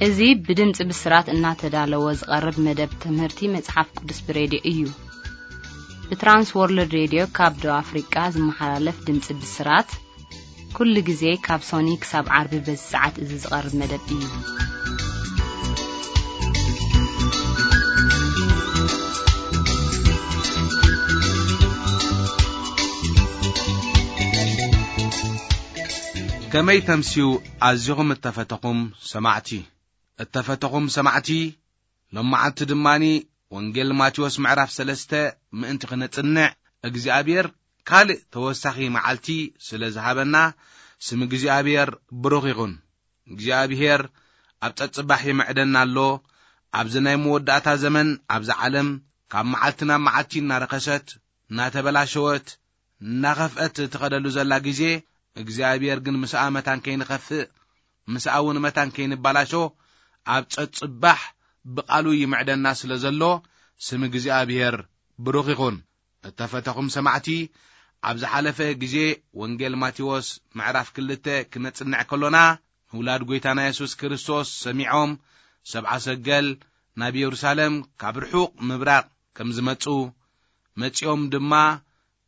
እዚ ብድምፂ ብስራት እናተዳለወ ዝቐርብ መደብ ትምህርቲ መጽሓፍ ቅዱስ ብሬድዮ እዩ። ብትራንስ ወርልድ ሬድዮ ካብ ደቡብ ኣፍሪቃ ዝመሓላለፍ ድምፂ ብስራት፣ ኩሉ ግዜ ካብ ሶኒ ክሳብ ዓርቢ በዚ ሰዓት እዚ ዝቐርብ መደብ እዩ። ከመይ ተምስዩ ኣዚኹም እተፈተኹም ሰማዕቲ። እተፈተኹም ሰማዕቲ፣ ሎማዓንቲ ድማኒ ወንጌል ማቴዎስ ምዕራፍ ሰለስተ ምእንቲ ኽነጽንዕ እግዚኣብሔር ካልእ ተወሳኺ መዓልቲ ስለ ዝሃበና ስም እግዚኣብሔር ብሩኽ ይኹን። እግዚኣብሔር ኣብ ጸጽባሕ ይምዕደና ኣሎ። ኣብዚ ናይ መወዳእታ ዘመን ኣብዛ ዓለም ካብ መዓልቲ ናብ መዓልቲ እናረኸሰት፣ እናተበላሸወት፣ እናኸፍአት ትኸደሉ ዘላ ግዜ፣ እግዚኣብሔር ግን ምስኣ መታን ከይንኸፍእ፣ ምስኣ እውን መታን ከይንባላሾ ኣብ ጸጽባሕ ብቓሉ ይምዕደና ስለ ዘሎ ስም እግዚኣብሔር ብሩኽ ይኹን። እተፈተኹም ሰማዕቲ፣ ኣብ ዝሓለፈ ግዜ ወንጌል ማቴዎስ ምዕራፍ ክልተ ክነጽንዕ ከሎና፣ ንውላድ ጐይታና የሱስ ክርስቶስ ሰሚዖም ሰብዓ ሰገል ናብ የሩሳሌም ካብ ርሑቕ ምብራቕ ከም ዝመጹ፣ መጺኦም ድማ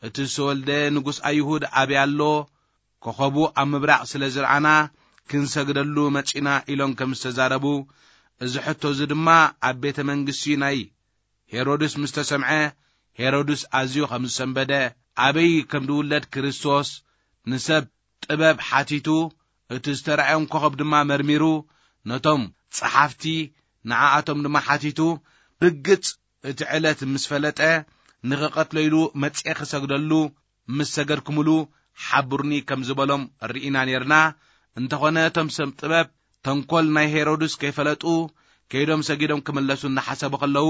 እቲ ዝተወልደ ንጉስ ኣይሁድ ኣበይ ኣሎ? ኮኸቡ ኣብ ምብራቕ ስለ ዝረኣና ክንሰግደሉ መጺና ኢሎም ከም ዝተዛረቡ፣ እዚ ሕቶ እዚ ድማ ኣብ ቤተ መንግስቲ ናይ ሄሮድስ ምስ ተሰምዐ፣ ሄሮድስ ኣዝዩ ከም ዝሰንበደ፣ ኣበይ ከም ዝውለድ ክርስቶስ ንሰብ ጥበብ ሓቲቱ፣ እቲ ዝተራእዮም ኮኸብ ድማ መርሚሩ፣ ነቶም ጸሓፍቲ ንዓኣቶም ድማ ሓቲቱ፣ ርግጽ እቲ ዕለት ምስ ፈለጠ፣ ንኽቐትሎ ኢሉ መጺኤ ክሰግደሉ ምስ ሰገድኩምሉ ሓብሩኒ ከም ዝበሎም ርኢና ኔርና። እንተኾነ እቶም ሰብ ጥበብ ተንኮል ናይ ሄሮድስ ከይፈለጡ፣ ከይዶም ሰጊዶም ክምለሱ እናሓሰቡ ከለዉ፣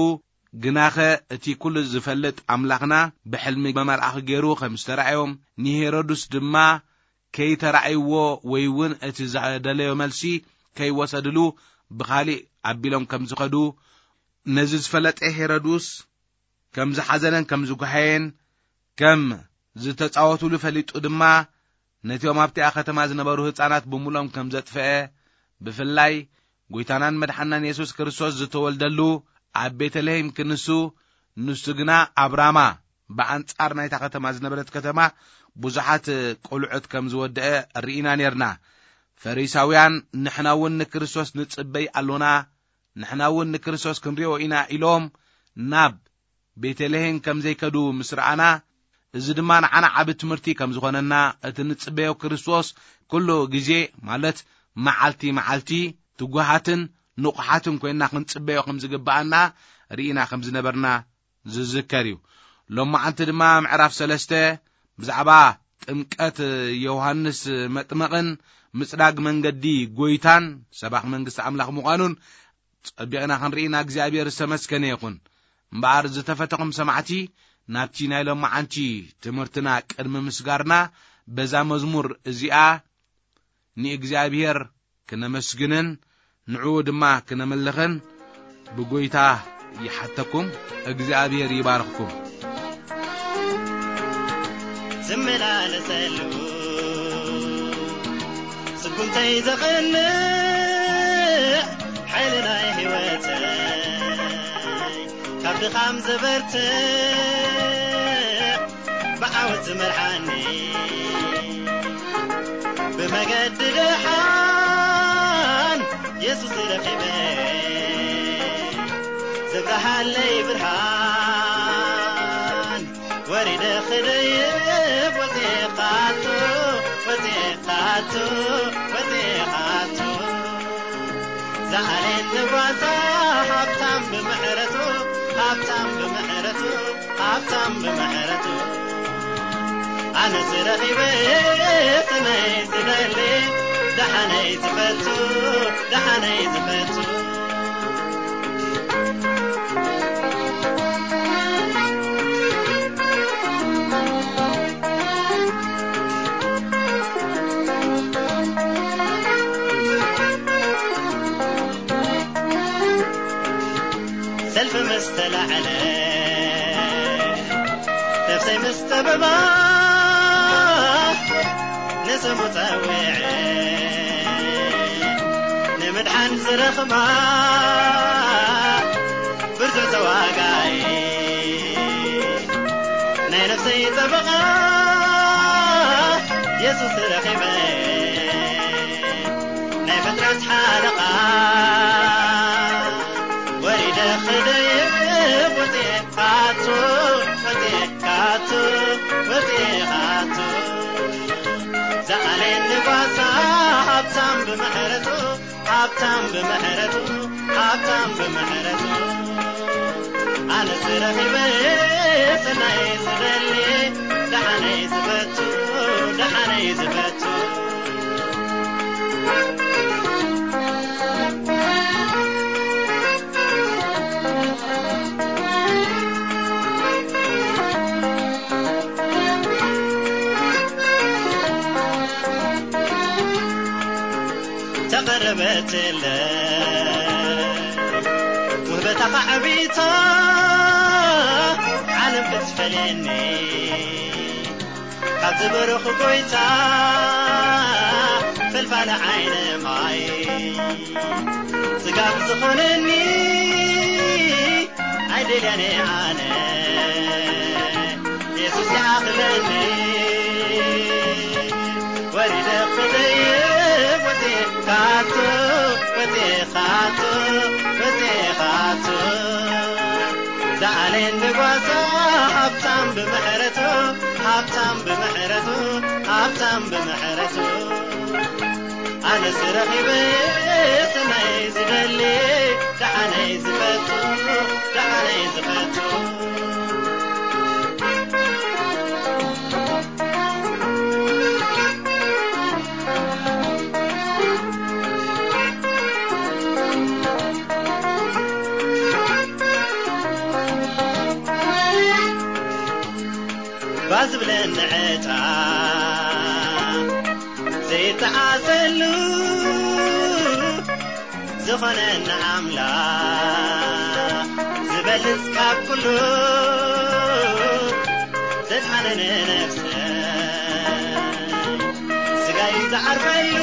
ግናኸ እቲ ኩሉ ዝፈልጥ ኣምላኽና ብሕልሚ መመልኣኺ ገይሩ ከም ዝተራእዮም፣ ንሄሮድስ ድማ ከይተራእይዎ ወይ እውን እቲ ዝደለዮ መልሲ ከይወሰድሉ ብኻሊእ ኣቢሎም ከም ዝኸዱ፣ ነዚ ዝፈለጠ ሄሮድስ ከም ዝሓዘነን ከም ዝጓሃየን፣ ከም ዝተጻወቱሉ ፈሊጡ ድማ፣ ነቲኦም ኣብቲኣ ከተማ ዝነበሩ ህጻናት ብምሉኦም ከም ዘጥፍአ፣ ብፍላይ ጐይታናን መድሓናን የሱስ ክርስቶስ ዝተወልደሉ ኣብ ቤተልሔም ክንሱ፣ ንሱ ግና ኣብ ራማ፣ ብኣንጻር ናይታ ከተማ ዝነበረት ከተማ፣ ብዙሓት ቆልዑት ከም ዝወደአ ርኢና ኔርና። ፈሪሳውያን፣ "ንሕና እውን ንክርስቶስ ንጽበይ ኣሎና፣ ንሕና እውን ንክርስቶስ ክንሪኦ ኢና" ኢሎም ናብ ቤተልሔም ከም ዘይከዱ ምስ ረኣና፣ እዚ ድማ ንዓና ዓቢ ትምህርቲ ከም ዝኾነና፣ እቲ ንጽበዮ ክርስቶስ ኩሉ ግዜ፣ ማለት መዓልቲ መዓልቲ፣ ትጉሃትን ንቑሓትን ኮይንና ክንጽበዮ ከም ዝግብኣና ርኢና ከም ዝነበርና ዝዝከር እዩ። ሎማዓንቲ ድማ ምዕራፍ ሰለስተ ብዛዕባ ጥምቀት ዮሃንስ መጥመቕን ምጽዳግ መንገዲ ጐይታን ሰባኽ መንግስቲ ኣምላኽ ምዃኑን ጸቢቕና ክንርኢና እግዚኣብሔር ዝተመስገነ ይኹን። እምበኣር ዝተፈተኹም ሰማዕቲ፣ ናብቲ ናይ ሎማዓንቲ ትምህርትና ቅድሚ ምስጋርና፣ በዛ መዝሙር እዚኣ ንእግዚኣብሔር ክነመስግንን ንዕኡ ድማ ክነምልኽን ብጐይታ ይሓተኩም። እግዚኣብሔር ይባርኽኩም። ዝመላለሰሉ ስጉምተይ ዘቕንዕ ሓይሊ ናይ ህይወተይ ካብ ድኻም ዘበርትዕ ብዓወት ዝመርሓኒ ብመገዲ ደሓን የሱስ ረኺበ ዘብርሃለይ ብርሃን ወሪደ ክደይብ ወፂኻቱ ወፂኻቱ ወፂኻቱ ዝዓሌት ንጓሳ ሃብታም ብምሕረቱ ሃብታም ብምሕረቱ ሃብታም ብምሕረቱ ኣነስ ረኺበ እቲ ናይ ዝደሊ ደሓነይ ዝፈቱ ደሓነይ ዝፈቱ ሰልፊ ምስ ተላዕለ ነፍሰይ ምስ ጠበባ ንስሙ ጸዊዐ ንምድሓን ዝረኽባ ብርቱዕ ተዋጋኢ ናይ ነፍሰይ ጠበቓ የሱስ ረኺበ ናይ ፍጥረት ሓለቓ ወሪደ ክደይብ ወፅኤ ካቱ ወፅኤ ካቱ ወፅኤ ካቱ ዝኣለየኒ ጓሳ ሃብታም ብምሕረቱ ሃብታም ብምሕረቱ ሃብታም ብምሕረቱ ኣነስ ረኺበ ሰናይ ዝደሊ ደሓነይ ዝፈቱ ደሓነይ ዝፈቱ ተቐረበትለ ውህበታኻ ዓቢታ ዓለም ክትፈልየኒ ካብ ዝበረኹ ጎይታ ፈልፋለ ዓይነ ማይ ስጋብ ዝኾነኒ ኣይደልያነ ኣነ የሱስ ይኣኽለኒ ወሪደ ክደይብ ወፂኤ ካቱ ወፂኤ ካቱ ወፂኤ ካቱ ዝኣለየኒ ጓሳ ሃብታም ብምሕረቱ ሃብታም ብምሕረቱ ሃብታም ብምሕረቱ ኣነስ ረኺበ ሰናይ ዝደሊ ደሓነይ ዝፈቱ ደሓነይ ዝፈቱ ባዝብለኒ ዕጣ ዘይተዓሰሉ ዝኾነና ኣምላኽ ዝበልጽ ካብ ኩሉ ዘድሓነነ ነፍሰ ስጋይ ዝዓርፈሉ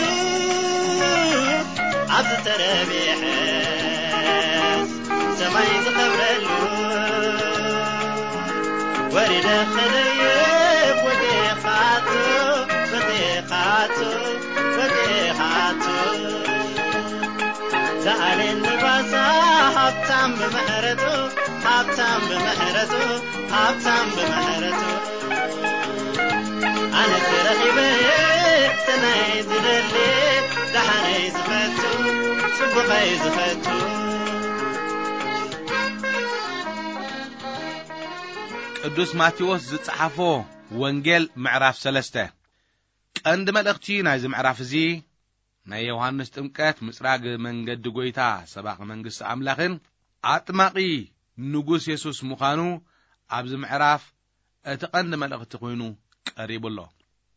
ኣብ ዝተረብሐ ሰማይ ዝኸብረሉ ወሪደ ክደይብ ወዴኻቱ ወዴኻቱ ወዴኻቱ ዝኣለየኒ ጓሳ ሃብታም ብምሕረቱ ሃብታም ብምሕረቱ ሃብታም ብምሕረቱ ኣነስ ረኺበ ሰናይ ዝደሊ ደሓነይ ዝፈቱ ጽቡቐይ ዝፈቱ ቅዱስ ማቴዎስ ዝጸሓፎ ወንጌል ምዕራፍ ሰለስተ። ቀንዲ መልእኽቲ ናይዚ ምዕራፍ እዚ ናይ ዮሃንስ ጥምቀት ምጽራግ መንገዲ ጐይታ ሰባኺ መንግስቲ ኣምላኽን ኣጥማቒ ንጉስ የሱስ ምዃኑ ኣብዚ ምዕራፍ እቲ ቀንዲ መልእኽቲ ኮይኑ ቀሪቡ ኣሎ።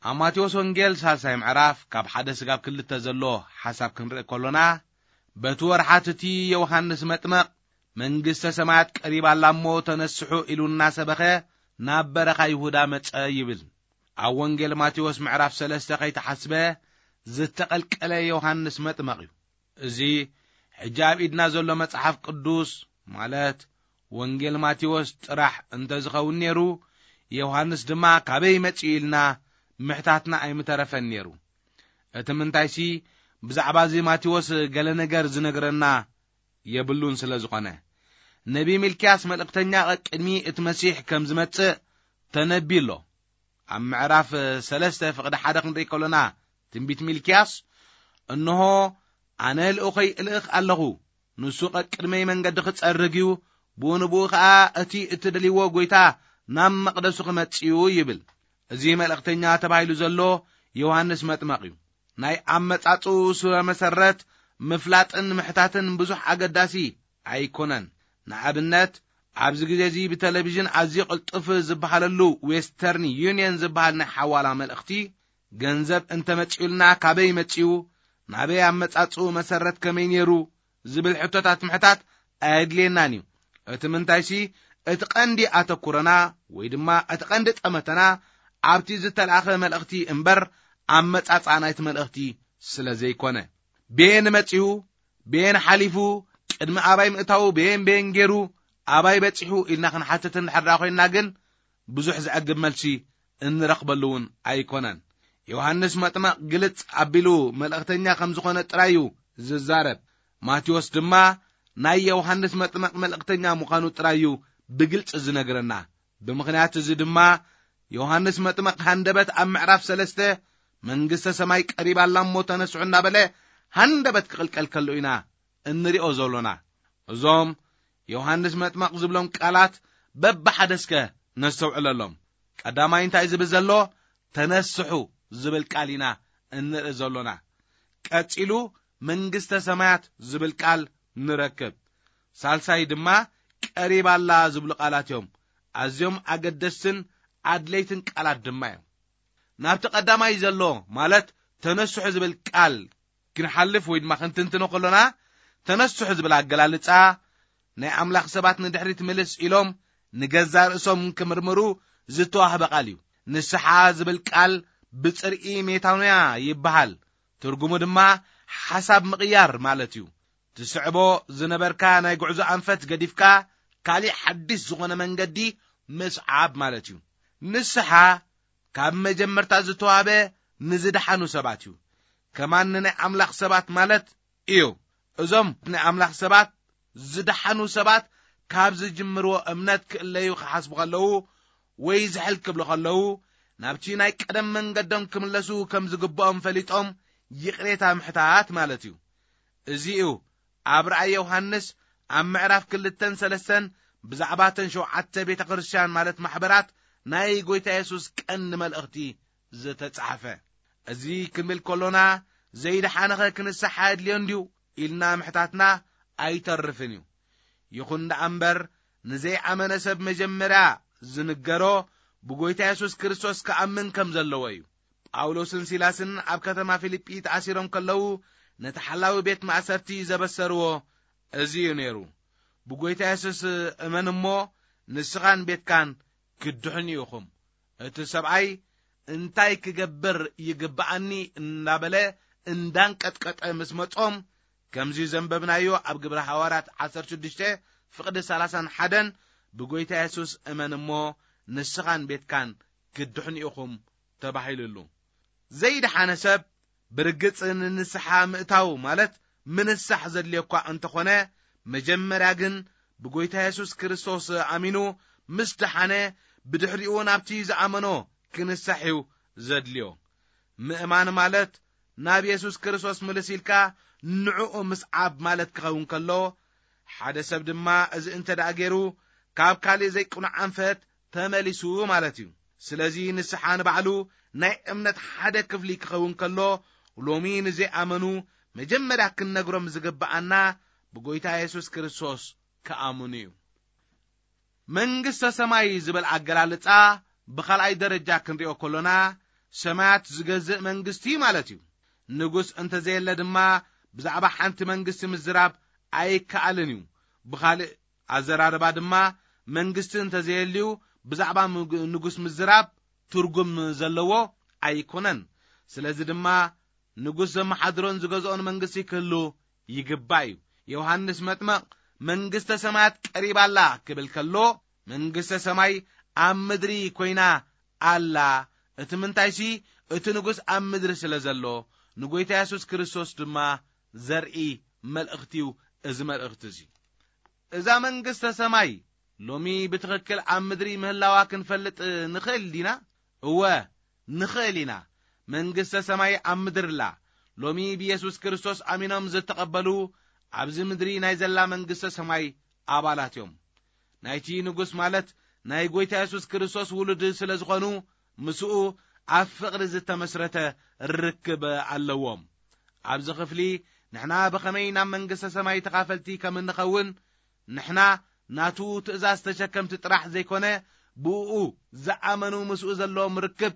ኣብ ማቴዎስ ወንጌል ሳልሳይ ምዕራፍ ካብ ሓደ ስጋብ ክልተ ዘሎ ሓሳብ ክንርኢ ከሎና በቲ ወርሓት እቲ ዮሃንስ መጥመቕ መንግስተ ሰማያት ቀሪባ ኣላ እሞ ተነስሑ ኢሉ እናሰበኸ ናብ በረኻ ይሁዳ መጸ ይብል። ኣብ ወንጌል ማቴዎስ ምዕራፍ ሰለስተ ከይተሓስበ ዝተቐልቀለ ዮሃንስ መጥመቕ እዩ። እዚ ሕጂ ኣብ ኢድና ዘሎ መጽሓፍ ቅዱስ ማለት ወንጌል ማቴዎስ ጥራሕ እንተ ዝኸውን ነይሩ፣ ዮሃንስ ድማ ካበይ መጺኡ ኢልና ምሕታትና ኣይምተረፈን ነይሩ። እቲ ምንታይሲ ብዛዕባ እዚ ማቴዎስ ገለ ነገር ዝነግረና የብሉን ስለ ዝኾነ፣ ነቢ ሚልክያስ መልእኽተኛ ቅድሚ እቲ መሲሕ ከም ዝመጽእ ተነብዩ ኣሎ። ኣብ ምዕራፍ ሰለስተ ፍቕዲ ሓደ ክንርኢ ከሎና ትንቢት ሚልክያስ፣ "እንሆ ኣነ ልኡኸይ እልእኽ ኣለኹ፣ ንሱ ቀቅድመይ መንገዲ ክጸርግ እዩ፣ ብኡ ንብኡ ኸኣ እቲ እትደልይዎ ጐይታ ናብ መቕደሱ ክመጽእ እዩ" ይብል። እዚ መልእኽተኛ ተባሂሉ ዘሎ ዮሃንስ መጥመቕ እዩ። ናይ ኣመጻጽኡ ስረ መሰረት ምፍላጥን ምሕታትን ብዙሕ ኣገዳሲ ኣይኮነን። ንኣብነት፣ ኣብዚ ግዜ እዚ ብቴሌቪዥን ኣዝዩ ቅልጡፍ ዝበሃለሉ ዌስተርን ዩኒየን ዝበሃል ናይ ሓዋላ መልእኽቲ፣ ገንዘብ እንተመጺኡልና ካበይ መጺኡ፣ ናበይ ኣመጻጽኡ መሰረት ከመይ ነይሩ ዝብል ሕቶታት ምሕታት ኣየድልየናን እዩ። እቲ ምንታይሲ፣ እቲ ቀንዲ ኣተኩሮና ወይ ድማ እቲ ቀንዲ ጠመተና ኣብቲ ዝተላእኸ መልእኽቲ እምበር ኣመጻጽኣ ናይቲ መልእኽቲ ስለ ዘይኮነ። ቤን መጺኡ፣ በየን ሓሊፉ፣ ቅድሚ ኣባይ ምእታዉ በየን በየን ገይሩ፣ ኣባይ በጺሑ ኢልና ክንሓትት እንድሕር ደኣ ኮይንና ግን፣ ብዙሕ ዘዕግብ መልሲ እንረኽበሉ እውን ኣይኮነን። ዮሃንስ መጥመቕ ግልጽ ኣቢሉ መልእኽተኛ ከም ዝኾነ ጥራይ እዩ ዝዛረብ። ማቴዎስ ድማ ናይ ዮሃንስ መጥመቕ መልእኽተኛ ምዃኑ ጥራይ እዩ ብግልጺ ዝነግረና። ብምኽንያት እዚ ድማ ዮሃንስ መጥመቕ ሃንደበት ኣብ ምዕራፍ ሰለስተ፣ "መንግስተ ሰማይ ቀሪባ ኣላ እሞ ተነስሑ" እናበለ ሃንደበት ክቕልቀል ከሎ ኢና እንሪኦ ዘሎና። እዞም ዮሃንስ መጥመቕ ዝብሎም ቃላት በብሓደ እስከ ነስተውዕለሎም። ቀዳማይ እንታይ ዝብል ዘሎ? "ተነስሑ" ዝብል ቃል ኢና እንርኢ ዘሎና። ቀጺሉ "መንግስተ ሰማያት" ዝብል ቃል ንረክብ። ሳልሳይ ድማ "ቀሪባ ኣላ" ዝብሉ ቃላት እዮም። ኣዝዮም ኣገደስትን ኣድለይትን ቃላት ድማ እዮም። ናብቲ ቀዳማይ ዘሎ፣ ማለት "ተነስሑ" ዝብል ቃል ክንሓልፍ ወይ ድማ ክንትንትኖ ከሎና፣ "ተነስሑ" ዝብል ኣገላልጻ ናይ ኣምላኽ ሰባት ንድሕሪት ምልስ ኢሎም ንገዛእ ርእሶም ክምርምሩ ዝተዋህበ ቃል እዩ። ንስሓ ዝብል ቃል ብጽርኢ ሜታኖያ ይበሃል። ትርጉሙ ድማ ሓሳብ ምቕያር ማለት እዩ። ትስዕቦ ዝነበርካ ናይ ጉዕዞ ኣንፈት ገዲፍካ፣ ካሊእ ሓድሽ ዝኾነ መንገዲ ምስዓብ ማለት እዩ። ንስሓ ካብ መጀመርታ ዝተዋህበ ንዝደሓኑ ሰባት እዩ። ከማን ንናይ ኣምላኽ ሰባት ማለት እዩ። እዞም ናይ ኣምላኽ ሰባት ዝደሓኑ ሰባት ካብ ዝጅምርዎ እምነት ክእለዩ ክሓስቡ ከለዉ ወይ ዝሕል ክብሉ ከለዉ፣ ናብቲ ናይ ቀደም መንገዶም ክምለሱ ከም ዝግብኦም ፈሊጦም ይቕሬታ ምሕታት ማለት እዩ። እዚ እዩ ኣብ ራእይ ዮሃንስ ኣብ ምዕራፍ ክልተን ሰለስተን ብዛዕባ እተን ሸውዓተ ቤተ ክርስቲያን ማለት ማሕበራት ናይ ጎይታ የሱስ ቀንዲ መልእኽቲ ዝተጻሕፈ። እዚ ክንብል ከሎና፣ ዘይደሓነኸ ክንስሓ የድልዮ እንድዩ ኢልና ምሕታትና ኣይተርፍን እዩ። ይኹን ደኣ እምበር፣ ንዘይኣመነ ሰብ መጀመርያ ዝንገሮ ብጎይታ የሱስ ክርስቶስ ክኣምን ከም ዘለዎ እዩ። ጳውሎስን ሲላስን ኣብ ከተማ ፊልጲ ተኣሲሮም ከለዉ፣ ነቲ ሓላዊ ቤት ማእሰርቲ ዘበሰርዎ እዚ እዩ ነይሩ። "ብጎይታ የሱስ እመን እሞ ንስኻን ቤትካን ክትድሕኑ ኢኹም።" እቲ ሰብኣይ "እንታይ ክገብር ይግብኣኒ?" እናበለ እንዳንቀጥቀጠ ምስ መጾም፣ ከምዚ ዘንበብናዮ ኣብ ግብረ ሃዋርያት ዓሰርተ ሽዱሽተ ፍቕዲ ሰላሳን ሓደን፣ "ብጎይታ የሱስ እመን እሞ ንስኻን ቤትካን ክትድሕኑ ኢኹም" ተባሂሉሉ። ዘይደሓነ ሰብ ብርግጽ ንንስሓ ምእታው ማለት ምንሳሕ ዘድልዮ እኳ እንተኾነ፣ መጀመርያ ግን ብጎይታ የሱስ ክርስቶስ ኣሚኑ ምስ ደሓነ፣ ብድሕሪኡ ናብቲ ዝኣመኖ ክንሳሕ እዩ ዘድልዮ። ምእማን ማለት ናብ የሱስ ክርስቶስ ምልስ ኢልካ ንዕኡ ምስዓብ ማለት ክኸውን ከሎ፣ ሓደ ሰብ ድማ እዚ እንተ ደኣ ገይሩ፣ ካብ ካልእ ዘይቅኑዕ ኣንፈት ተመሊሱ ማለት እዩ። ስለዚ ንስሓ ንባዕሉ ናይ እምነት ሓደ ክፍሊ ክኸውን ከሎ፣ ሎሚ ንዘይኣመኑ መጀመርያ ክንነግሮም ዝግብኣና ብጎይታ የሱስ ክርስቶስ ክኣምኑ እዩ። መንግስተ ሰማይ ዝብል ኣገላልጻ ብኻልኣይ ደረጃ ክንሪኦ ከሎና፣ ሰማያት ዝገዝእ መንግስቲ ማለት እዩ። ንጉስ እንተዘየለ ድማ ብዛዕባ ሓንቲ መንግስቲ ምዝራብ ኣይከኣልን እዩ። ብኻልእ ኣዘራርባ ድማ፣ መንግስቲ እንተዘየልዩ ብዛዕባ ምግ-፣ ንጉስ ምዝራብ ትርጉም ዘለዎ ኣይኮነን። ስለዚ ድማ ንጉስ ዘመሓድሮን ዝገዝኦን መንግስቲ ክህሉ ይግባእ እዩ። ዮሃንስ መጥመቕ "መንግስተ ሰማያት ቀሪባ ኣላ" ክብል ከሎ፣ መንግስተ ሰማይ ኣብ ምድሪ ኮይና ኣላ። እቲ ምንታይሲ፣ እቲ ንጉስ ኣብ ምድሪ ስለ ዘሎ፣ ንጎይታ የሱስ ክርስቶስ ድማ ዘርኢ መልእኽቲ እዩ እዚ መልእኽቲ እዚ። እዛ መንግስተ ሰማይ ሎሚ ብትኽክል ኣብ ምድሪ ምህላዋ ክንፈልጥ ንኽእል ዲና? እወ፣ ንኽእል ኢና። መንግስተ ሰማይ ኣብ ምድሪ ኣላ። ሎሚ ብየሱስ ክርስቶስ ኣሚኖም ዝተቐበሉ ኣብዚ ምድሪ ናይ ዘላ መንግስተ ሰማይ ኣባላት እዮም። ናይቲ ንጉስ ማለት ናይ ጎይታ የሱስ ክርስቶስ ውሉድ ስለ ዝኾኑ፣ ምስኡ ኣብ ፍቕሪ ዝተመስረተ ርክብ ኣለዎም። ኣብዚ ክፍሊ ንሕና ብኸመይ ናብ መንግስተ ሰማይ ተኻፈልቲ ከም እንኸውን፣ ንሕና ናቱ ትእዛዝ ተሸከምቲ ጥራሕ ዘይኮነ፣ ብእኡ ዝኣመኑ ምስኡ ዘለዎም ርክብ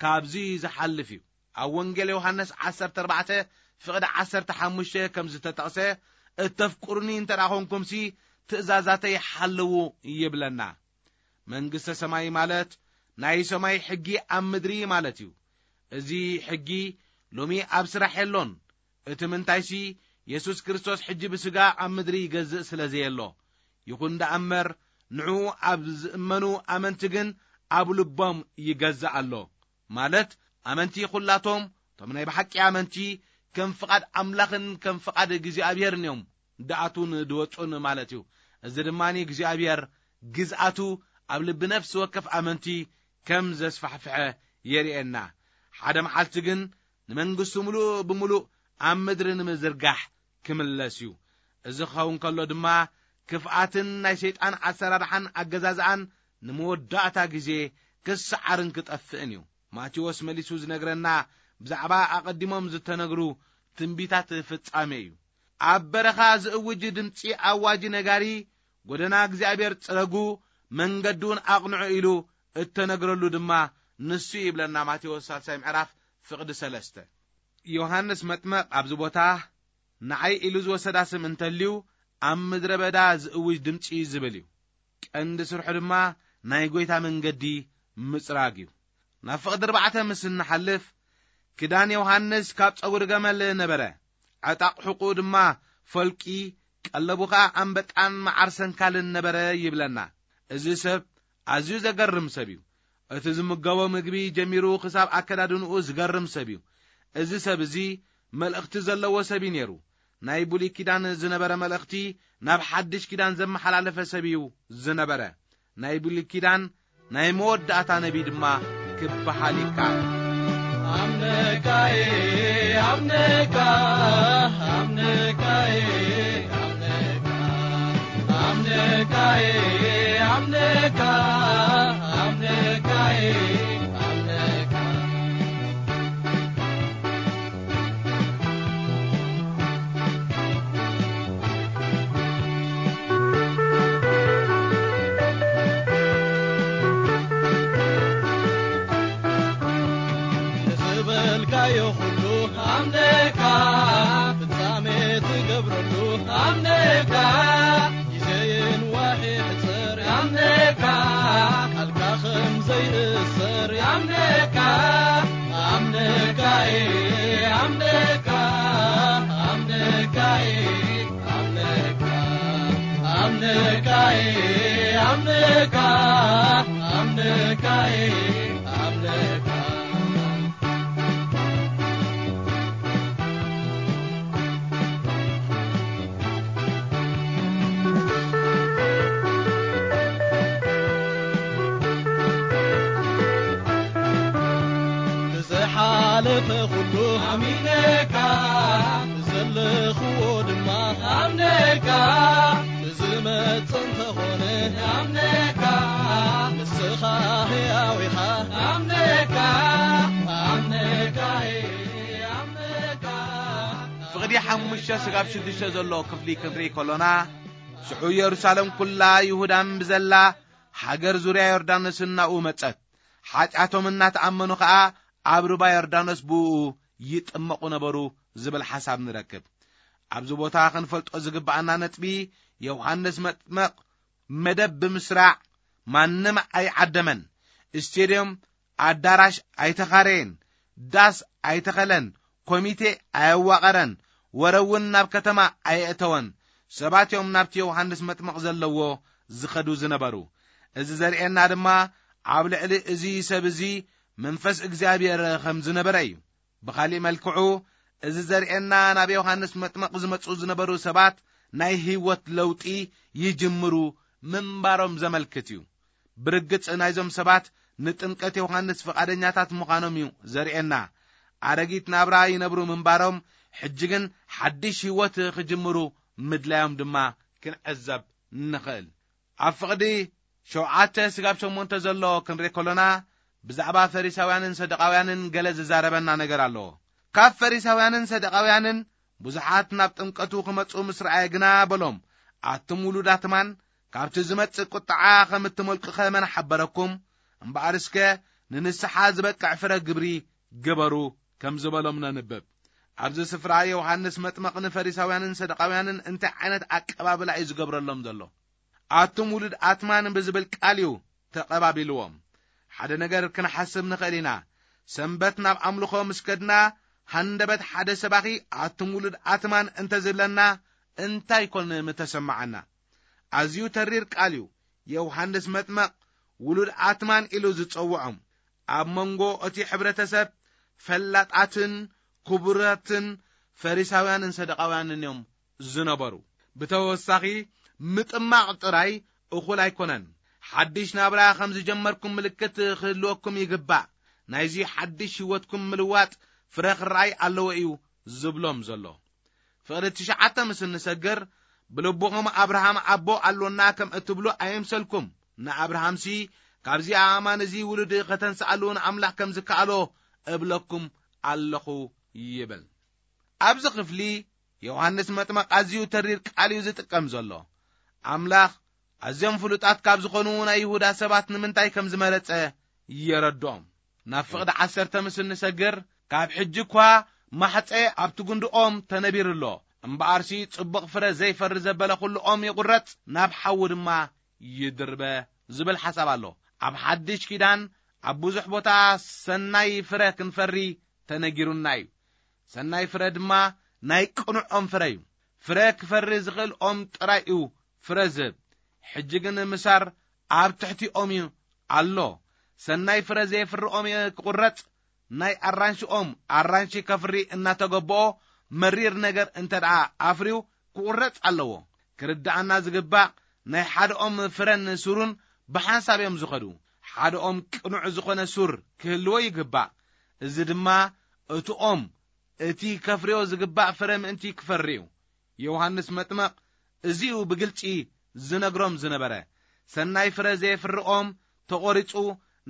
ካብዚ ዝሓልፍ እዩ። ኣብ ወንጌል ዮሃንስ ዓሰርተ ኣርባዕተ ፍቕዲ ዓሰርተ ሓሙሽተ ከም ዝተጠቕሰ፣ "እተፍቅሩኒ እንተ ደኣ ኾንኩምሲ፣ ትእዛዛተይ ሓልዉ" ይብለና። መንግስተ ሰማይ ማለት ናይ ሰማይ ሕጊ ኣብ ምድሪ ማለት እዩ። እዚ ሕጊ ሎሚ ኣብ ስራሕ የሎን። እቲ ምንታይሲ፣ የሱስ ክርስቶስ ሕጂ ብስጋ ኣብ ምድሪ ይገዝእ ስለ ዘየሎ፣ ይኹን ደኣ እምበር፣ ንዕኡ ኣብ ዝእመኑ ኣመንቲ ግን ኣብ ልቦም ይገዝእ ኣሎ። ማለት፣ ኣመንቲ ኩላቶም፣ እቶም ናይ ብሓቂ ኣመንቲ፣ ከም ፍቓድ ኣምላኽን ከም ፍቓድ እግዚኣብሄርን እዮም ድኣቱን ድወጹን ማለት እዩ። እዚ ድማ እግዚኣብሔር ግዝኣቱ ኣብ ልቢ ነፍሲ ወከፍ ኣመንቲ ከም ዘስፋሕፍሐ የርእየና። ሓደ መዓልቲ ግን ንመንግስቱ ምሉእ ብምሉእ ኣብ ምድሪ ንምዝርጋሕ ክምለስ እዩ። እዚ ክኸውን ከሎ ድማ፣ ክፍኣትን ናይ ሰይጣን ኣሰራርሓን ኣገዛዝኣን ንመወዳእታ ግዜ ክሰዓርን ክጠፍእን እዩ። ማቴዎስ መሊሱ ዝነግረና ብዛዕባ ኣቐዲሞም ዝተነግሩ ትንቢታት ፍጻሜ እዩ። ኣብ በረኻ ዝእውጅ ድምጺ ኣዋጂ ነጋሪ፣ "ጎደና እግዚኣብሔር ጽረጉ፣ መንገዲ እውን ኣቕንዑ" ኢሉ እተነግረሉ ድማ ንሱ እዩ ይብለና ማቴዎስ ሳልሳይ ምዕራፍ ፍቕዲ ሰለስተ። ዮሃንስ መጥመቕ ኣብዚ ቦታ ንዓይ ኢሉ ዝወሰዳ ስም እንተልዩ፣ ኣብ ምድረ በዳ ዝእውጅ ድምጺ ዝብል እዩ። ቀንዲ ስርሑ ድማ ናይ ጐይታ መንገዲ ምጽራግ እዩ። ናብ ፍቕዲ ኣርባዕተ ምስ እንሓልፍ፣ ክዳን ዮሃንስ ካብ ጸጉሪ ገመል ነበረ፣ ዕጣቕ ሕቑኡ ድማ ፈልቂ፣ ቀለቡ ኸኣ ኣንበጣን መዓር ሰንካልን ነበረ ይብለና። እዚ ሰብ ኣዝዩ ዘገርም ሰብ እዩ። እቲ ዝምገቦ ምግቢ ጀሚሩ ክሳብ ኣከዳድንኡ ዝገርም ሰብ እዩ። እዚ ሰብ እዚ መልእኽቲ ዘለዎ ሰብ እዩ ነይሩ። ናይ ብሉይ ኪዳን ዝነበረ መልእኽቲ ናብ ሓድሽ ኪዳን ዘመሓላለፈ ሰብ እዩ ዝነበረ። ናይ ብሉይ ኪዳን ናይ መወዳእታ ነቢይ ድማ ክበሃል ይከኣል። ኣምነካይ፣ ኣምነካ፣ ኣምነካይ፣ ኣምነካ፣ ኣምነካይ፣ ኣምነካ፣ ኣምነካይ፣ ኣምነካ። ዝበልካዮ ኩሉ ኣምነካ፣ ፍጻሜ ትገብረሉ ኣምነካ፣ ግዜን ዋሒ ሕጽር ኣምነካ፣ ቃልካ ከም ዘይእሰር ኣምነካ፣ ኣምነካ፣ ኣምነካ፣ ኣምነካ፣ ኣምነካ፣ ኣምነካ፣ ኣምነካ፣ ኣምነካ፣ ኣምነካ። ብዝሓለፈ ኩሉ ኣሚነካ፣ ዘለኽዎ ድማ ኣምነካ፣ ዝመጽእ እንተኾነ ኣምነካ፣ ንስኻ ሕያው ኢኻ ኣምነካ፣ ኣምነካ፣ ኣምነካ። ፍቕዲ ሓሙሽተ ስጋብ ሽዱሽተ ዘሎ ክፍሊ ክንርኢ ከሎና፣ ሽዑ ኢየሩሳሌም ኩላ ይሁዳን ብዘላ ሃገር ዙርያ ዮርዳኖስን ናብኡ መጸት። ሓጢኣቶም እናተኣመኑ ኸኣ ኣብ ሩባ ዮርዳኖስ ብእኡ ይጥመቑ ነበሩ ዝብል ሓሳብ ንረክብ። ኣብዚ ቦታ ክንፈልጦ ዝግብኣና ነጥቢ፣ ዮሃንስ መጥመቕ መደብ ብምስራዕ ማንም ኣይዓደመን። ስቴድዮም ኣዳራሽ ኣይተኻረየን፣ ዳስ ኣይተኸለን፣ ኮሚቴ ኣየዋቐረን፣ ወረ እውን ናብ ከተማ ኣየእተወን። ሰባት እዮም ናብቲ ዮሃንስ መጥምቕ ዘለዎ ዝኸዱ ዝነበሩ። እዚ ዘርእየና ድማ ኣብ ልዕሊ እዚ ሰብ እዚ መንፈስ እግዚኣብሔር ከም ዝነበረ እዩ። ብኻሊእ መልክዑ፣ እዚ ዘርእየና ናብ ዮሃንስ መጥምቕ ዝመጹ ዝነበሩ ሰባት ናይ ህይወት ለውጢ ይጅምሩ ምንባሮም ዘመልክት እዩ። ብርግጽ ናይዞም ሰባት ንጥምቀት ዮሃንስ ፍቓደኛታት ምዃኖም እዩ ዘርእየና። ኣረጊት ናብራ ይነብሩ ምንባሮም፣ ሕጂ ግን ሓድሽ ህይወት ክጅምሩ ምድላዮም ድማ ክንዕዘብ ንኽእል። ኣብ ፍቕዲ ሸውዓተ ስጋብ ሸሞንተ ዘሎ ክንርኢ ከሎና፣ ብዛዕባ ፈሪሳውያንን ሰዱቃውያንን ገለ ዝዛረበና ነገር ኣለዎ። ካብ ፈሪሳውያንን ሰዱቃውያንን ብዙሓት ናብ ጥምቀቱ ክመጹ ምስ ረኣየ ግና በሎም፣ ኣቱም ውሉዳት ማን፣ ካብቲ ዝመጽእ ቁጥዓ ከም እትመልቁኸ መን ሓበረኩም? እምበኣር እስከ ንንስሓ ዝበቅዕ ፍረ ግብሪ ግበሩ፣ ከም ዝበሎም ነንብብ። ኣብዚ ስፍራ ዮሃንስ መጥመቕ ንፈሪሳውያንን ሰዱቃውያንን እንታይ ዓይነት ኣቀባብላ እዩ ዝገብረሎም ዘሎ? ኣቱም ውሉድ ኣትማን ብዝብል ቃል እዩ ተቐባቢልዎም። ሓደ ነገር ክንሓስብ ንኽእል ኢና። ሰንበት ናብ ኣምልኾ ምስ ከድና፣ ሃንደበት ሓደ ሰባኺ ኣቱም ውሉድ ኣትማን እንተዝብለና እንታይ ኮን ምተሰማዓና? ኣዝዩ ተሪር ቃል እዩ። ዮሃንስ መጥመቕ ውሉድ ኣትማን ኢሉ ዝጸውዖም፣ ኣብ መንጎ እቲ ሕብረተሰብ ፈላጣትን ክቡራትን ፈሪሳውያንን ሰደቃውያንን እዮም ዝነበሩ። ብተወሳኺ ምጥማቕ ጥራይ እኹል ኣይኮነን። ሓድሽ ናብራ ከም ዝጀመርኩም ምልክት ክህልወኩም ይግባእ። ናይዚ ሓድሽ ህይወትኩም ምልዋጥ ፍረ ክረኣይ ኣለዎ እዩ ዝብሎም ዘሎ። ፍቕዲ ትሽዓተ ምስ እንሰግር፣ ብልብኹም ኣብርሃም ኣቦ ኣሎና ከም እትብሉ ኣይምሰልኩም። ንኣብርሃምሲ ካብዚ ኣእማን እዚ ውሉድ ከተንስኣሉ ንኣምላኽ ከም ዝከኣሎ እብለኩም ኣለኹ ይብል። ኣብዚ ክፍሊ ዮሃንስ መጥመቕ ኣዝዩ ተሪር ቃል እዩ ዝጥቀም ዘሎ። ኣምላኽ ኣዝዮም ፍሉጣት ካብ ዝኾኑ ናይ ይሁዳ ሰባት ንምንታይ ከም ዝመረጸ የረድኦም። ናብ ፍቕዲ ዓሰርተ ምስ እንሰግር፣ ካብ ሕጂ እኳ ማሕጸ ኣብቲ ጉንዲ ኦም ተነቢሩ ኣሎ። እምበኣርሲ ጽቡቕ ፍረ ዘይፈሪ ዘበለ ኩሉ ኦም ይቑረጽ፣ ናብ ሓዊ ድማ ይድርበ ዝብል ሓሳብ ኣሎ። ኣብ ሓድሽ ኪዳን ኣብ ብዙሕ ቦታ ሰናይ ፍረ ክንፈሪ ተነጊሩና እዩ። ሰናይ ፍረ ድማ ናይ ቅኑዕ ኦም ፍረ እዩ። ፍረ ክፈሪ ዝኽእል ኦም ጥራይ እዩ ፍረ ዝህብ። ሕጂ ግን ምሳር ኣብ ትሕቲ ኦም እዩ ኣሎ። ሰናይ ፍረ ዘየፍሪ ኦም ክቑረጽ፣ ናይ ኣራንሺ ኦም ኣራንሺ ከፍሪ እናተገበኦ መሪር ነገር እንተ ደኣ ኣፍርዩ ክቑረጽ ኣለዎ። ክርድኣና ዝግባእ ናይ ሓደ ኦም ፍረን ሱሩን ብሓንሳብ እዮም ዝኸዱ። ሓደ ኦም ቅኑዕ ዝኾነ ሱር ክህልዎ ይግባእ። እዚ ድማ እቲ ኦም እቲ ከፍርዮ ዝግባእ ፍረ ምእንቲ ክፈሪ እዩ። ዮሃንስ መጥመቕ እዚኡ ብግልጺ ዝነግሮም ዝነበረ። ሰናይ ፍረ ዘየፍሪ ኦም ተቖሪጹ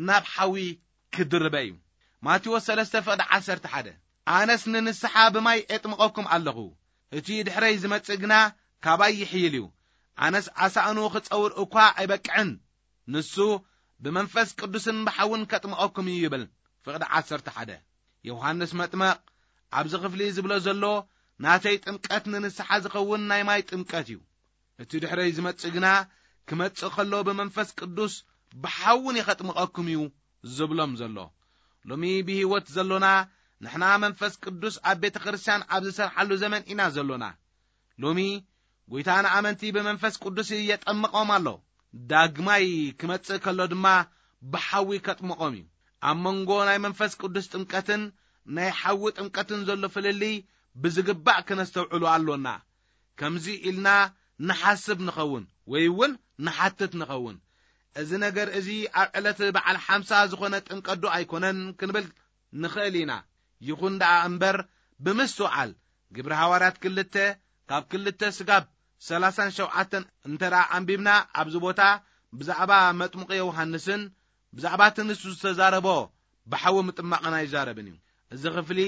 ናብ ሓዊ ክድርበ እዩ። ማቴዎስ ሰለስተ ፍቕዲ ዓሰርተ ሓደ። ኣነስ ንንስሓ ብማይ ኤጥምቐኩም ኣለኹ፣ እቲ ድሕረይ ዝመጽእ ግና ካባይ ይሕይል እዩ። ኣነስ ኣሳእኑ ክጸውር እኳ ኣይበቅዕን። ንሱ ብመንፈስ ቅዱስን ብሓውን ከጥምቐኩም እዩ ይብል። ፍቕዲ ዓሰርተ ሓደ። ዮሃንስ መጥመቕ ኣብዚ ክፍሊ ዝብሎ ዘሎ ናተይ ጥምቀት ንንስሓ ዝኸውን ናይ ማይ ጥምቀት እዩ። እቲ ድሕረይ ዝመጽእ ግና ክመጽእ ከሎ ብመንፈስ ቅዱስ ብሓውን ከጥምቐኩም እዩ ዝብሎም ዘሎ። ሎሚ ብህይወት ዘሎና ንሕና መንፈስ ቅዱስ ኣብ ቤተ ክርስቲያን ኣብ ዝሰርሓሉ ዘመን ኢና ዘሎና። ሎሚ ጐይታ ንኣመንቲ ብመንፈስ ቅዱስ የጠምቖም ኣሎ። ዳግማይ ክመጽእ ከሎ ድማ ብሓዊ ከጥምቖም እዩ። ኣብ መንጎ ናይ መንፈስ ቅዱስ ጥምቀትን ናይ ሓዊ ጥምቀትን ዘሎ ፍልልይ ብዝግባእ ክነስተውዕሎ ኣሎና። ከምዚ ኢልና ንሓስብ ንኸውን ወይ እውን ንሓትት ንኸውን። እዚ ነገር እዚ ኣብ ዕለት በዓል ሓምሳ ዝኾነ ጥምቀት ዶ ኣይኮነን ክንብል ንኽእል ኢና። ይኹን ደኣ እምበር ብምስትውዓል ግብሪ ሃዋርያት ክልተ ካብ ክልተ ስጋብ ሰላሳን ሸውዓተን እንተ ደኣ ኣንቢብና ኣብዚ ቦታ ብዛዕባ መጥምቁ ዮሃንስን ብዛዕባ እቲ ንሱ ዝተዛረቦ ብሓዊ ምጥማቕን ኣይዛረብን እዩ። እዚ ክፍሊ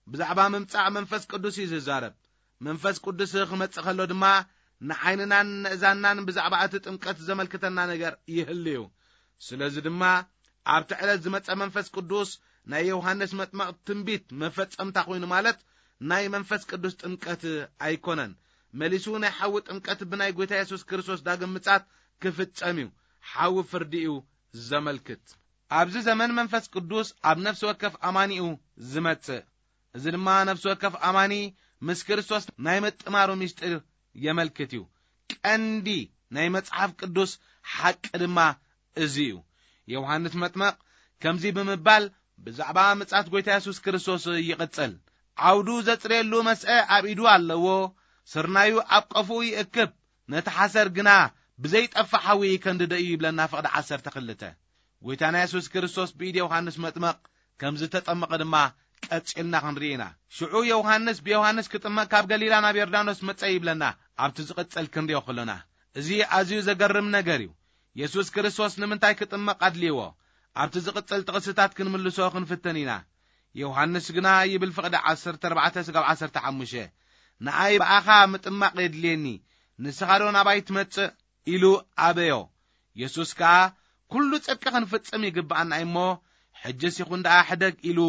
ብዛዕባ ምምጻእ መንፈስ ቅዱስ እዩ ዝዛረብ። መንፈስ ቅዱስ ክመጽእ ከሎ ድማ ንዓይንናን ንእዛንናን ብዛዕባ እቲ ጥምቀት ዘመልክተና ነገር ይህሉ እዩ። ስለዚ ድማ ኣብቲ ዕለት ዝመጸ መንፈስ ቅዱስ ናይ ዮሃንስ መጥመቕ ትንቢት መፈጸምታ ኮይኑ ማለት ናይ መንፈስ ቅዱስ ጥምቀት ኣይኮነን። መሊሱ ናይ ሓዊ ጥምቀት ብናይ ጐይታ የሱስ ክርስቶስ ዳግም ምጻት ክፍጸም እዩ። ሓዊ ፍርዲ እዩ ዘመልክት። ኣብዚ ዘመን መንፈስ ቅዱስ ኣብ ነፍሲ ወከፍ ኣማኒኡ ዝመጽእ። እዚ ድማ ነፍሲ ወከፍ ኣማኒ ምስ ክርስቶስ ናይ ምጥማሩ ምስጢር የመልክት እዩ። ቀንዲ ናይ መጽሓፍ ቅዱስ ሓቂ ድማ እዚ እዩ። ዮሃንስ መጥመቕ ከምዚ ብምባል ብዛዕባ ምጻት ጐይታ የሱስ ክርስቶስ ይቕጽል። ዓውዱ ዘጽርየሉ መስአ ኣብ ኢዱ ኣለዎ፣ ስርናዩ ኣብ ቀፍኡ ይእክብ፣ ነቲ ሓሰር ግና ብዘይጠፍእ ሓዊ ይከንድዶ እዩ ይብለና ፍቕዲ ዓሰርተ ክልተ። ጐይታና የሱስ ክርስቶስ ብኢድ ዮሃንስ መጥመቕ ከም ዝተጠመቐ ድማ ቀጺልና ክንርኢ ኢና። ሽዑ ዮሃንስ ብዮሃንስ ክጥመቕ ካብ ገሊላ ናብ ዮርዳኖስ መጸ ይብለና ኣብቲ ዝቕጽል ክንሪኦ ከሎና። እዚ ኣዝዩ ዘገርም ነገር እዩ። የሱስ ክርስቶስ ንምንታይ ክጥመቕ ኣድልይዎ? ኣብቲ ዝቕጽል ጥቕስታት ክንምልሶ ክንፍትን ኢና። ዮሃንስ ግና ይብል ፍቕዲ ዓሰርተ ኣርባዕተ ስጋብ ዓሰርተ ሓሙሽተ፣ ንኣይ ብኣኻ ምጥማቕ የድልየኒ፣ ንስኻ ዶ ናባይ ትመጽእ? ኢሉ ኣበዮ። የሱስ ከኣ፣ "ኩሉ ጽድቂ ክንፍጽም ይግብኣና እሞ፣ ሕጅስ ይኹን ደኣ ሕደግ" ኢሉ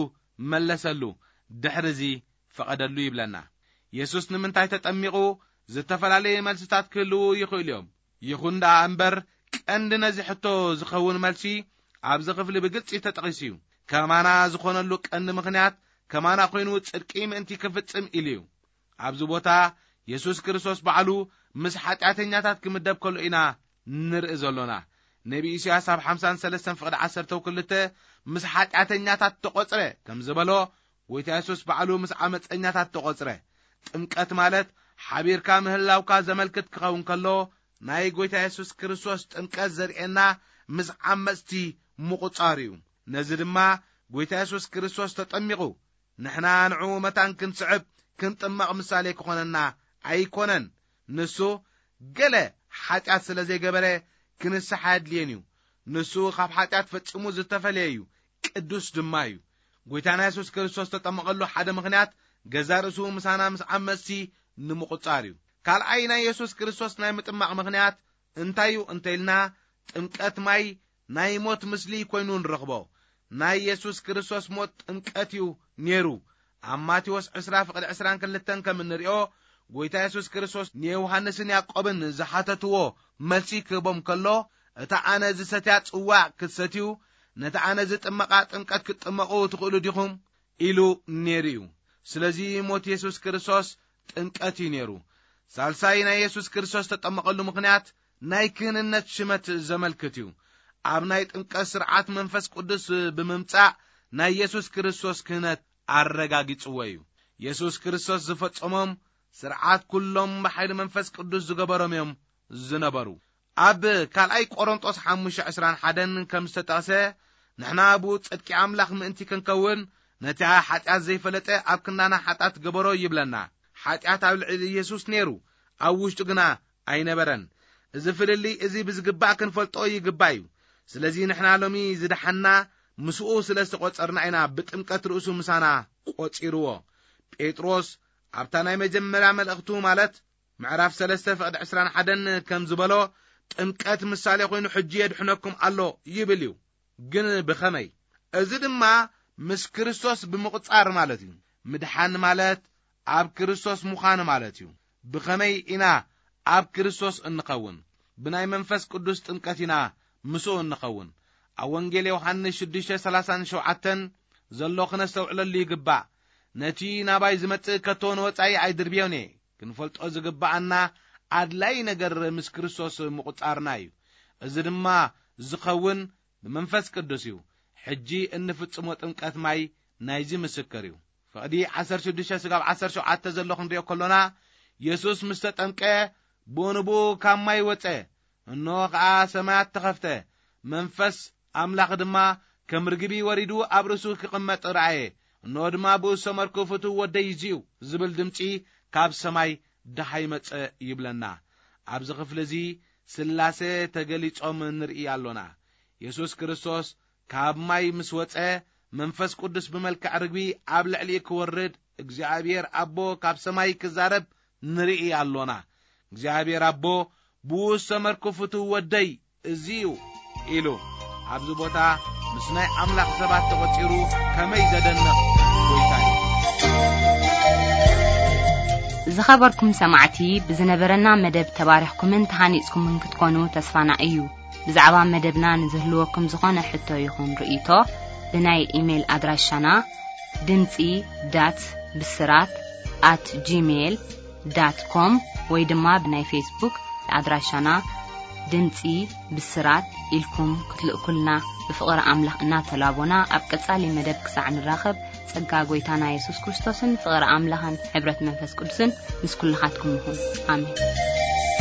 መለሰሉ። ድሕርዚ ፈቐደሉ ይብለና። የሱስ ንምንታይ ተጠሚቑ? ዝተፈላለየ መልስታት ክህልዉ ይኽእሉ እዮም። ይኹን ደኣ እምበር፣ ቀንዲ ነዚ ሕቶ ዝኸውን መልሲ ኣብዚ ክፍሊ ብግልጺ ተጠቒሱ እዩ። ከማና ዝኾነሉ ቀንዲ ምኽንያት ከማና ኮይኑ ጽድቂ ምእንቲ ክፍጽም ኢሉ እዩ። ኣብዚ ቦታ የሱስ ክርስቶስ ባዕሉ ምስ ሓጢኣተኛታት ክምደብ ከሎ ኢና ንርኢ ዘሎና። ነቢ ኢሳያስ ኣብ ሓምሳን ሰለስተን ፍቕዲ ዓሰርተ ክልተ ምስ ሓጢኣተኛታት ተቖጽረ ከም ዝበሎ፣ ጎይታ የሱስ ባዕሉ ምስ ዓመጸኛታት ተቖጽረ። ጥምቀት ማለት ሓቢርካ ምህላውካ ዘመልክት ክኸውን ከሎ፣ ናይ ጎይታ የሱስ ክርስቶስ ጥምቀት ዘርእየና ምስ ዓመጽቲ ምቑጻር እዩ። ነዚ ድማ ጎይታ የሱስ ክርስቶስ ተጠሚቑ፣ ንሕና ንዕኡ መታን ክንስዕብ ክንጥመቕ ምሳሌ ክኾነና ኣይኮነን። ንሱ ገለ ሓጢኣት ስለ ዘይገበረ ክንስሓ ኣድልየን እዩ። ንሱ ካብ ሓጢኣት ፈጺሙ ዝተፈለየ እዩ፣ ቅዱስ ድማ እዩ። ጎይታና የሱስ ክርስቶስ ተጠመቐሉ ሓደ ምኽንያት ገዛ ርእሱ ምሳና ምስ ዓመጽቲ ንምቑጻር እዩ። ካልኣይ ናይ የሱስ ክርስቶስ ናይ ምጥማቕ ምኽንያት እንታይ እዩ እንተኢልና፣ ጥምቀት ማይ ናይ ሞት ምስሊ ኮይኑ ንረኽቦ። ናይ የሱስ ክርስቶስ ሞት ጥምቀት እዩ ነይሩ። ኣብ ማቴዎስ ዕስራ ፍቕዲ ዕስራን ክልተን ከም እንሪኦ፣ ጎይታ የሱስ ክርስቶስ ንዮሃንስን ያዕቆብን ዝሓተትዎ መልሲ ክህቦም ከሎ፣ "እታ ኣነ ዝሰትያ ጽዋዕ ክትሰትዩ፣ ነታ ኣነ ዝጥመቓ ጥምቀት ክትጥመቑ ትኽእሉ ዲኹም?" ኢሉ ነይሩ እዩ። ስለዚ ሞት የሱስ ክርስቶስ ጥምቀት እዩ ነይሩ። ሳልሳይ ናይ የሱስ ክርስቶስ ተጠመቐሉ ምኽንያት ናይ ክህንነት ሽመት ዘመልክት እዩ። ኣብ ናይ ጥምቀት ስርዓት መንፈስ ቅዱስ ብምምጻእ ናይ የሱስ ክርስቶስ ክህነት ኣረጋጊጽዎ እዩ። የሱስ ክርስቶስ ዝፈጸሞም ስርዓት ኩሎም ብሓይሊ መንፈስ ቅዱስ ዝገበሮም እዮም ዝነበሩ። ኣብ ካልኣይ ቆሮንጦስ ሓሙሽተ ዕስራን ሓደን ከም ዝተጠቕሰ፣ ንሕና ብኡ ጽድቂ ኣምላኽ ምእንቲ ክንከውን፣ ነቲ ሓጢኣት ዘይፈለጠ ኣብ ክንዳና ሓጢኣት ገበሮ ይብለና። ሓጢኣት ኣብ ልዕሊ የሱስ ነይሩ፣ ኣብ ውሽጡ ግና ኣይነበረን። እዚ ፍልልይ እዚ ብዝግባእ ክንፈልጦ ይግባእ እዩ። ስለዚ ንሕና ሎሚ ዝደሓና ምስኡ ስለ ዝተቖጸርና ኢና ብጥምቀት ርእሱ ምሳና ቆጺርዎ። ጴጥሮስ ኣብታ ናይ መጀመርያ መልእኽቱ ማለት ምዕራፍ ሰለስተ ፍቕዲ ዕስራን ሓደን ከም ዝበሎ፣ "ጥምቀት ምሳሌ ኮይኑ ሕጂ የድሕነኩም ኣሎ" ይብል እዩ። ግን ብኸመይ? እዚ ድማ ምስ ክርስቶስ ብምቕጻር ማለት እዩ። ምድሓን ማለት ኣብ ክርስቶስ ምዃን ማለት እዩ። ብኸመይ ኢና ኣብ ክርስቶስ እንኸውን? ብናይ መንፈስ ቅዱስ ጥምቀት ኢና ምስኡ እንኸውን። ኣብ ወንጌል ዮሃንስ ሽዱሽተ ሰላሳን ሸውዓተን ዘሎ ክነስተውዕለሉ ይግባእ። "ነቲ ናባይ ዝመጽእ ከቶ ንወጻኢ ኣይድርብዮን እየ።" ክንፈልጦ ዝግባኣና ኣድላይ ነገር ምስ ክርስቶስ ምቑጻርና እዩ። እዚ ድማ ዝኸውን ብመንፈስ ቅዱስ እዩ። ሕጂ እንፍጽሞ ጥምቀት ማይ ናይዚ ምስክር እዩ። ፍቕዲ ዓሰርተ ሽዱሽተ ስጋብ ዓሰርተ ሸውዓተ ዘሎ ክንሪኦ ከሎና፣ የሱስ ምስ ተጠምቀ ብኡ ንብኡ ካብ ማይ ወጸ። እንሆ ኸኣ ሰማያት ተኸፍተ፣ መንፈስ ኣምላኽ ድማ ከም ርግቢ ወሪዱ ኣብ ርእሱ ክቕመጥ ረኣየ። እንሆ ድማ ብኡ ዝሰመርኩ ፍቱው ወደይ እዚ እዩ ዝብል ድምጺ ካብ ሰማይ ደሃይ መጸ ይብለና። ኣብዚ ክፍሊ እዚ ስላሴ ተገሊጾም ንርኢ ኣሎና። የሱስ ክርስቶስ ካብ ማይ ምስ ወጸ፣ መንፈስ ቅዱስ ብመልክዕ ርግቢ ኣብ ልዕሊኡ ክወርድ፣ እግዚኣብሔር ኣቦ ካብ ሰማይ ክዛረብ ንርኢ ኣሎና። እግዚኣብሔር ኣቦ፣ "ብኡ ዝሰመርኩ ፍቱው ወደይ እዚ እዩ" ኢሉ ኣብዚ ቦታ ምስ ናይ ኣምላኽ ሰባት ተቖጺሩ ከመይ ዘደንቕ ጎይታ እዩ! ዝኸበርኩም ሰማዕቲ፣ ብዝነበረና መደብ ተባሪኽኩምን ተሃኒጽኩምን ክትኮኑ ተስፋና እዩ። ብዛዕባ መደብና ንዝህልወኩም ዝኾነ ሕቶ ይኹን ርእይቶ፣ ብናይ ኢሜይል ኣድራሻና ድምጺ ዳት ብስራት ኣት ጂሜይል ዳት ኮም ወይ ድማ ብናይ ፌስቡክ ኣድራሻና ድምጺ ብስራት ኢልኩም ክትልእኩልና ብፍቕሪ ኣምላኽ እናተላቦና፣ ኣብ ቀጻሊ መደብ ክሳዕ ንራኸብ፣ ጸጋ ጎይታና የሱስ ክርስቶስን ፍቕሪ ኣምላኽን ሕብረት መንፈስ ቅዱስን ምስ ኩልኻትኩም ይኹን። ኣሜን።